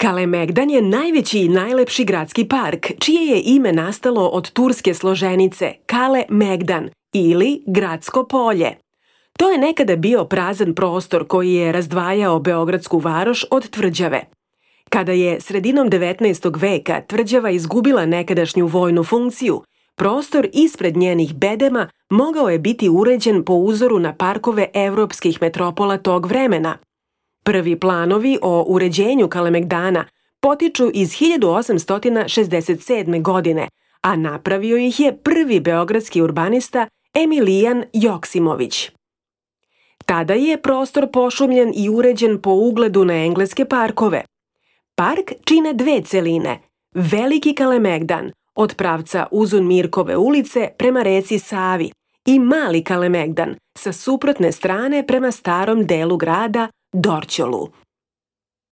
Kalemegdan je najveći i najlepši gradski park, čije je ime nastalo od turske složenice Kale Megdan ili gradsko polje. To je nekada bio prazan prostor koji je razdvajao beogradsku varoš od tvrđave. Kada je sredinom 19. veka tvrđava izgubila nekadašnju vojnu funkciju, prostor ispred njenih bedema mogao je biti uređen po uzoru na parkove evropskih metropola tog vremena. Prvi planovi o uređenju Kalemegdana potiču iz 1867. godine, a napravio ih je prvi beogradski urbanista Emilijan Joksimović. Tada je prostor pošumljen i uređen po ugledu na engleske parkove. Park čine dve celine, Veliki Kalemegdan od pravca Uzun Mirkove ulice prema reci Savi i Mali Kalemegdan sa suprotne strane prema starom delu grada Dorćolu.